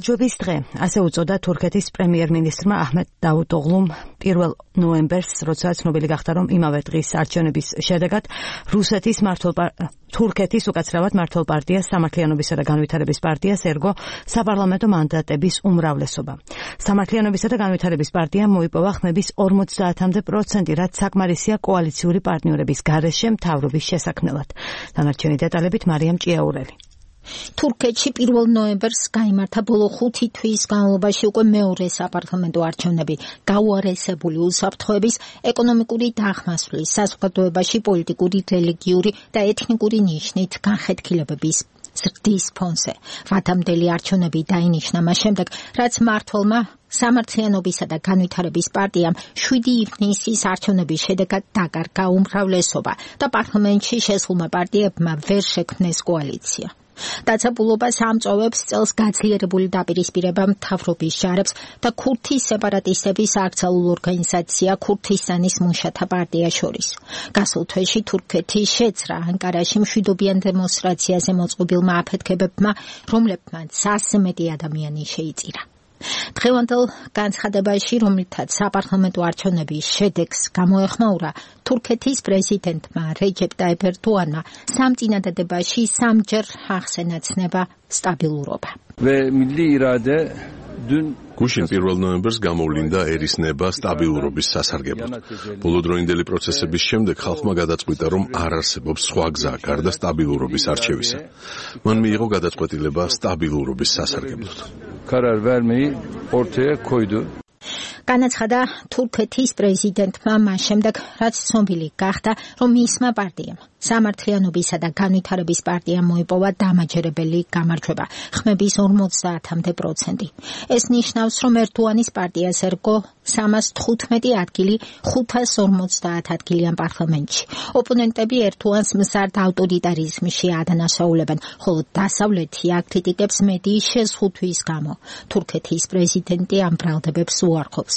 გამარჯვების დღე, ასე უწოდა თურქეთის პრემიერ-მინისტრმა აჰმედ დავუტოღლუმ 1 ნოემბერს, როცა ცნობილი გახდა, რომ იმავე დღის არჩევნების შედეგად თურქეთის უკაცრავად მმართველ პარტიას, სამართლიანობისა და განვითარების პარტიას ერგო საპარლამენტო მანდატების უმრავლესობა. სამართლიანობისა და განვითარების პარტიამ მოიპოვა ხმების 50-მდე პროცენტი, რაც საკმარისია კოალიციური პარტნიორების გარეშე მთავრობის შესაქმნელად. დანარჩენი დეტალებით მარიამ ჭიაურელი. თურქეთში 1 ნოემბერს გაიმართა ბოლო 5 თვის განმავლობაში უკვე მეორე საპარლამენტო არჩევნები, გაუარესებული უსაფრთხოების, ეკონომიკური დახმასვლის, საზოგადოებაში პოლიტიკური, რელიგიური და ეთნიკური ნიშნით განხეთქილებების ზრდის ფონზე. ვადამდელი არჩევნები დაინიშნა მას შემდეგ, რაც მმართველმა სამართლიანობისა და განვითარების პარტიამ 7 ივნისის არჩევნების შედეგად დაკარგა უმრავლესობა და პარლამენტში შესულმა პარტიებმა ვერ შექმნეს კოალიცია. დაწესებულებას ამწოვებს წელს გაძლიერებული დაპირისპირება მთავრობის ჯარებს და ქურთის სეპარატისტების აკრძალულ ორგანიზაცია ქურთისტანის მუშათა პარტია შორის. გასულ თვეში თურქეთის შეცრა ანკარაში მშვიდობიან დემონსტრაციაზე მოწყობილმა აფეთქებებმა, რომლებმაც 100-ზე მეტი ადამიანი შეიწირა. დღევანდელ განცხადებაში, რომლითაც საპარლამენტო არჩევნების შედეგს გამოეხმაურა, თურქეთის პრეზიდენტმა რეჯეპ ტაიპ ერდოანმა სამწინადადებაში სამჯერ ახსენა ცნება სტაბილურობა. გუშინ 1 ნოემბერს გამოვლინდა ერისნება სტაბილურობის სასარგებლოდ. ბოლოდროინდელი პროცესების შემდეგ ხალხმა გადაწყვიტა, რომ არ არსებობს სხვა გზა გარდა სტაბილურობის არჩევისა. მან მიიღო გადაწყვეტილება სტაბილურობის სასარგებლოდ. განაცხადა თურქეთის პრეზიდენტმა მას შემდეგ, რაც ცნობილი გახდა, რომ მისმა პარტიამ, სამართლიანობისა და განვითარების პარტიამ მოიპოვა დამაჯერებელი გამარჯვება, ხმების 50-მდე პროცენტი. ეს ნიშნავს, რომ ერდოანის პარტიას ერგო 315 ადგილი 550 ადგილიან პარლამენტში. ოპონენტები ერდოანს მზარდ ავტორიტარიზმში ადანაშაულებენ, ხოლო დასავლეთი აკრიტიკებს მედიის შეზღუდვის გამო. თურქეთის პრეზიდენტი ამ ბრალდებებს უარყოფს.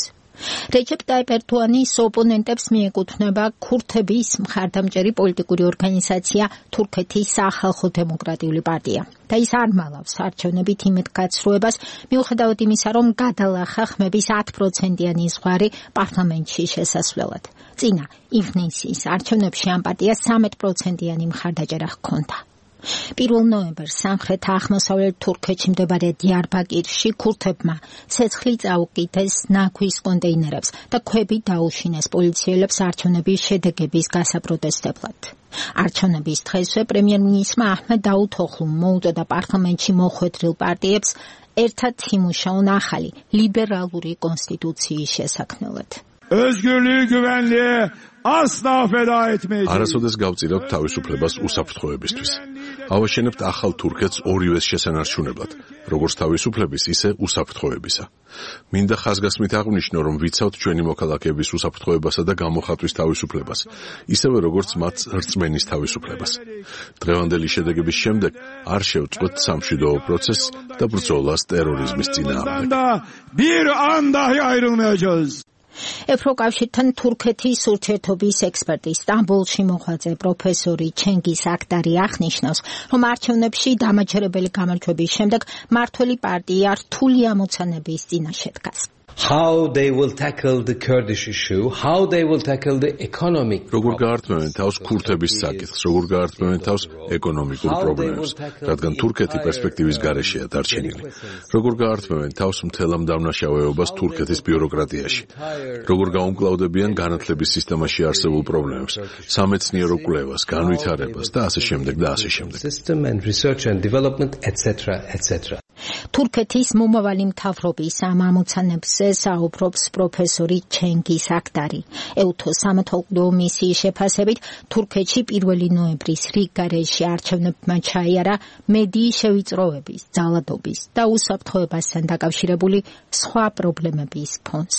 რეჯეპ ტაიპ ერდოანის ოპონენტებს მიეკუთვნება ქურთების მხარდამჭერი პოლიტიკური ორგანიზაცია თურქეთის სახალხო დემოკრატიული პარტია და ის არ მალავს არჩევნებით იმედგაცრუებას, მიუხედავად იმისა, რომ გადალახა ხმების 10%-იანი ზღვარი პარლამენტში შესასვლელად. წინა ივნისის არჩევნებში ამ პარტიას 13%-იანი მხარდაჭერა ჰქონდა. 1 ნოემბერს სამხრეთ-აღმოსავლეთ თურქეთში მდებარე დიარბაკირში ქურთებმა ცეცხლი წაუკიდეს ნაგვის კონტეინერებს და ქვები დაუშინეს პოლიციელებს არჩევნების შედეგების გასაპროტესტებლად. არჩევნების დღესვე პრემიერ-მინისტრმა აჰმედ დავუთოღლუმ მოუწოდა პარლამენტში მოხვედრილ პარტიებს ერთად იმუშაონ ახალი ლიბერალური კონსტიტუციის შესაქმნელად. არასოდეს გავწირავთ თავისუფლებას უსაფრთხოებისთვის. ავაშენებთ ახალ თურქეთს ორივეს შესანარჩუნებლად, როგორც თავისუფლების, ისე უსაფრთხოებისა. მინდა ხაზგასმით აღვნიშნო, რომ ვიცავთ ჩვენი მოქალაქეების უსაფრთხოებასა და გამოხატვის თავისუფლებას, ისევე როგორც მათ რწმენის თავისუფლებას. დღევანდელი შედეგების შემდეგ არ შევწყვეტ სამშვიდობო პროცესს და ბრძოლას ტერორიზმის წინააღმდეგ. ევროკავშირთან თურქეთის ურთიერთობის ექსპერტი სტამბოლში მოღვაწე პროფესორი ჩენგის აქტარი აღნიშნავს, რომ არჩევნებში დამაჯერებელი გამარჯვების შემდეგ მმართველი პარტია რთული ამოცანების წინაშე დგას. How they will tackle the Kurdish issue, how they will tackle the economic. როგორ გაართმევენ თავს ქურთების საკითხს, როგორ გაართმევენ თავს ეკონომიკურ პრობლემებს, რადგან თურქეთი პერსპექტივის გარეშეა დარჩენილი. როგორ გაართმევენ თავს მთელ ამ დამნაშავეობას თურქეთის ბიუროკრატიაში. როგორ გაუმკლავდებიან განათლების სისტემაში არსებულ პრობლემებს, სამეცნიერო კვლევას, განვითარებას და ასე შემდეგ და ასე შემდეგ. System and research and development etc. თურქეთის მომავალი მთავრობის ამ ამოცანებზე საუბრობს პროფესორი ჩენგის აქტარი. ეუთო სამეთვალყურეო მისიის შეფასებით, თურქეთში 1 ნოემბრის რიგგარეშე არჩევნებმა ჩაიარა მედიის შევიწროების, ძალადობის და უსაფრთხოებასთან დაკავშირებული სხვა პრობლემების ფონზე.